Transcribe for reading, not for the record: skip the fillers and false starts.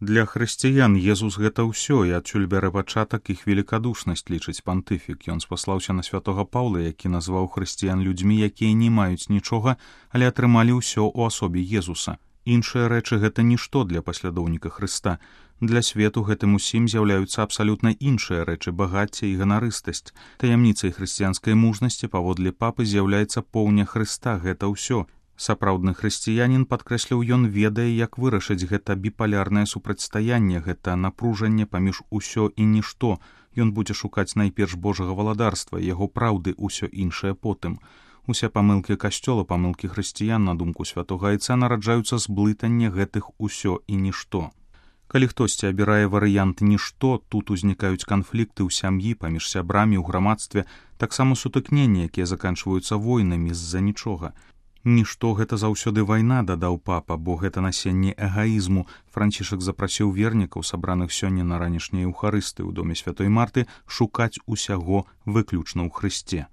Для хрысціян Езус гэта ўсё, і адсюль бярэ пачатак іх велікадушнасць, лічыць пантыфік. Ён спаслаўся на святога Паўла, які назваў хрысціян людзьмі, якія не маюць нічога, але атрымалі ўсё ў асобе Езуса. Іншыя рэчы гэта нішто для паслядоўніка Хрыста. Для свету гэтым усім з'яўляюцца абсалютна іншыя рэчы, багацце і ганарыстасць. Таямніцай хрысціянскай мужнасці паводле папы з'яўляецца поўня Хрыста, гэта ўсё. Сапраўдны хрысціянін, падкрэсліў ён, ведае, як вырашыць гэта біпалярнае супрацьстаянне, гэта напружанне паміж усё і нішто. Ён будзе шукаць найперш Божага валадарства, яго праўды, усё іншае потым. Усе памылкі касцёла, памылкі хрысціян, на думку святога айца, нараджаюцца з блытання гэтых усё і нішто. Калі хтосьці абірае варыянт нішто, тут узнікаюць канфлікты ў сям'і, паміж сябрамі, ў грамадстве, таксама сутыкненні, якія заканчваюцца войнамі з-за нічога. Нішто гэта заўсёды вайна, дадаў папа, бо гэта насенне эгаізму. Францішак запрасіў вернікаў, сабраных сёння на ранішняй еўхарыстыі ў доме святой Марты, шукаць усяго выключна ў Хрысце.